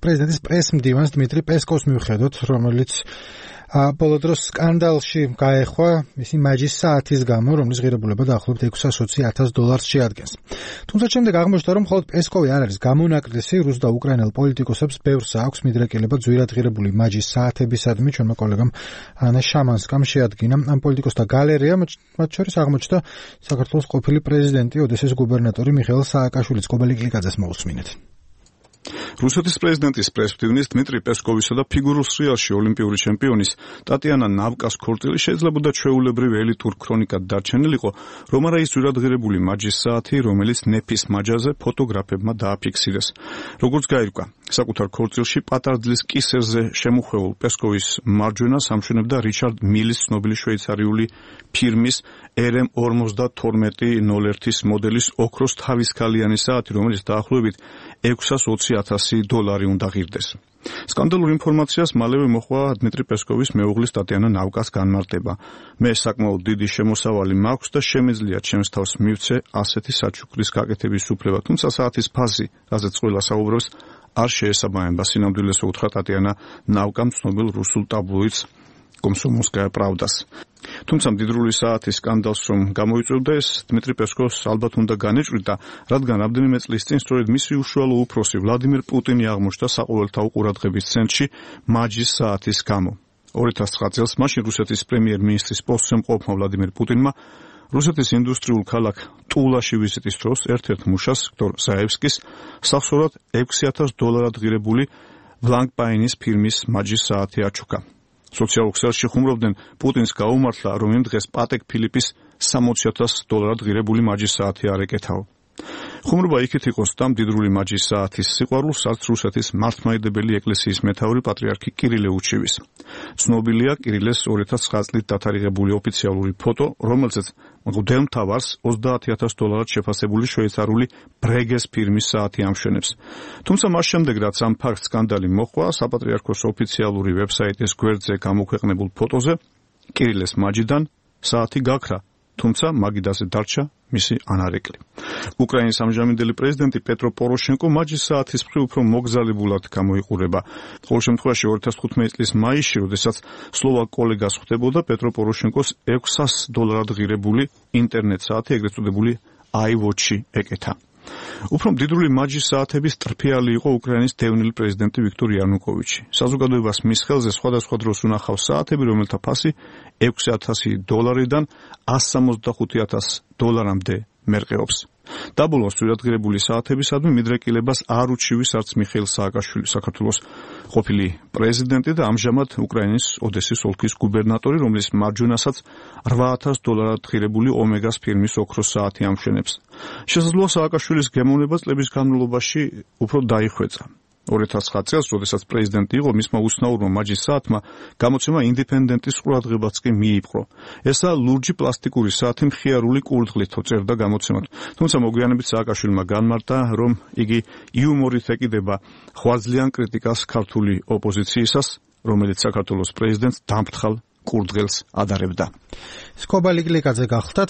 პრეზიდენტის პრეს-მდივანს დმიტრი პესკოვს მივხედოთ, რომელიც ბოლო დროს სკანდალში გაეხვა მისი მაჯის საათის გამო, რომლის ღირებულება დაახლოებით $620,000 შეადგენს. თუმცა შემდეგ აღმოჩნდა, რომ მხოლოდ პესკოვი არ არის გამონაკლისი, რუს და უკრაინელ პოლიტიკოსებს ბევრს აქვს მიდრეკილება ძვირად ღირებული მაჯის საათებისადმი. ჩვენმა კოლეგამ ანა შამანსკამ შეადგინა ამ პოლიტიკოსთა გალერეა, მათ შორის აღმოჩნდა საქართველოს ყოფილი პრეზიდენტი, ოდესის გუბერნატორი მიხეილ სააკაშვილიც. კობალი კლიკაძეს მოусმინეთ. რუსეთის პრეზიდენტის პრესმდივნის დმიტრი პესკოვისა და ფიგურულ სრიალში ოლიმპიური ჩემპიონის ტატიანა ნავკას ქორწილი შეიძლებოდა ჩვეულებრივ ელიტურ ქრონიკად დარჩენილიყო, რომ არა ის ძვირადღირებული მაჯის საათი, რომელიც ნეფის მაჯაზე ფოტოგრაფებმა დააფიქსირეს. როგორც გაირკვა, საკუთარ ქორწილში პატარძლის კისერზე შემუხვეულ პესკოვის მარჯვენას ამშვენებდა რიჩარდ მილის ცნობილი შვეიცარიული ფირმის RM5201 მოდელის ოქროს თავისქალიანი საათი, რომელიც დაახლოებით $620,000 უნდა ღირდეს. სკანდალურ ინფორმაციას მალევე მოჰყვა დმიტრი პესკოვის მეუღლის ტატიანა ნავკას განმარტება. მე საკმაოდ დიდი შემოსავალი მაქვს და შემიძლია ჩემს თავს მივცე ასეთი საჩუქრის გაკეთების უფლება, თუმცა საათის ფასი, რაზეც ყველა საუბრობს, არ შეესაბამება სინამდვილეს, უთხრა ტატიანა ნავკამ ცნობილ რუსულ ტაბლოიდს კომსომოლსკაია პრავდას. თუმცა მდიდრული საათის სკანდალს რომ გამოიწვევდა, ეს დმიტრი პესკოვს ალბათ უნდა განეჭვრიდა, რადგან რამდენიმე წლის წინ სწორედ მისი უშუალო უფროსი ვლადიმირ პუტინი აღმოჩნდა საყოველთაო ყურადღების ცენტრში მაჯის საათის გამო. 2009 წელს მაშინ რუსეთის პრემიერ-მინისტრის პოსტზე მყოფმა ვლადიმირ პუტინმა რუსეთის ინდუსტრიულ ქალაქ ტულაში ვიზიტის დროს ერთ-ერთ მუშას, ვიქტორ ზაევსკის, სახსოვრად $6,000 ღირებული ვლანგპაინის ფირმის მაჯის საათი აჩუქა. სოციალურ ქსელში ხუმრობდნენ, პუტინს გაუმართლა, რომ იმ დღეს პატეკ ფილიპის $60,000 ღირებული მაჯის საათი არ ეკეთაო. ხუმრობა იქით იყოს და მდიდრული მაჯის საათის სიყვარულს არც რუსეთის მართლმადიდებელი ეკლესიის მეთაური პატრიარქი კირილე უჩივის. ცნობილია კირილეს 2009 წლით დათარიღებული ოფიციალური ფოტო, რომელზეც მღვდელმთავარს $30,000 შეფასებული შვეიცარიული ბრეგეს ფირმის საათი ამშვენებს. თუმცა მას შემდეგ, რაც ამ ფაქტს სკანდალი მოჰყვა, საპატრიარქოს ოფიციალური ვებსაიტის გვერდზე გამოქვეყნებულ ფოტოზე კირილეს მაჯიდან საათი გაქრა, თუმცა მაგიდაზე დარჩა მისი ანარეკლი. უკრაინის ამჟამინდელი პრეზიდენტი პეტრო პოროშენკო მაჯის საათის მხრივ უფრო მოგზალებულად გამოიყურება. ყოველ შემთხვევაში 2015 წლის მაისში, როდესაც სლოვაკ კოლეგას ხვდებოდა, პეტრო პოროშენკოს $600 ღირებული ინტერნეტ საათი, ეგრეთ წოდებული iWatch-ი ეკეთა. უფრო მდიდრული მაჯის საათების ტრფიალი იყო უკრაინის დევნილი პრეზიდენტი ვიქტორ იანუკოვიჩი. საზოგადოებას მის ხელზე სხვადასხვა დროს უნახავს საათები, რომელთა ფასი $6,000-დან $165,000-მდე მერყეობს. დაბოლოს ძვირადღირებული საათებისადმი მიდრეკილებას არ უჩივის არც მიხეილ სააკაშვილი, საქართველოს ყოფილი პრეზიდენტი და ამჟამად უკრაინის ოდესის ოლქის გუბერნატორი, რომლის მარჯვენასაც $8,000 ღირებული ომეგას ფირმის ოქროს საათი ამშვენებს. შესაძლოა სააკაშვილის გემოვნება წლების განმავლობაში უფრო დაიხვეწა. 2009 წელს, როდესაც პრეზიდენტი იყო, მისმა უცნაურმა მაჯის საათმა გამოცემა ინდეპენდენტის ყურადღებაც კი მიიპყრო. ესაა ლურჯი პლასტიკური საათი მხიარული კურდღლითო, წერდა გამოცემად. თუმცა მოგვიანებით სააკაშვილმა განმარტა, რომ იგი იუმორით ეკიდება ხვარძლიან კრიტიკას ქართული ოპოზიციისას, რომელიც საქართველოს პრეზიდენტს დამფრთხალ კურდღელს ადარებდა. კობალი კლიკაძე გახლდათ.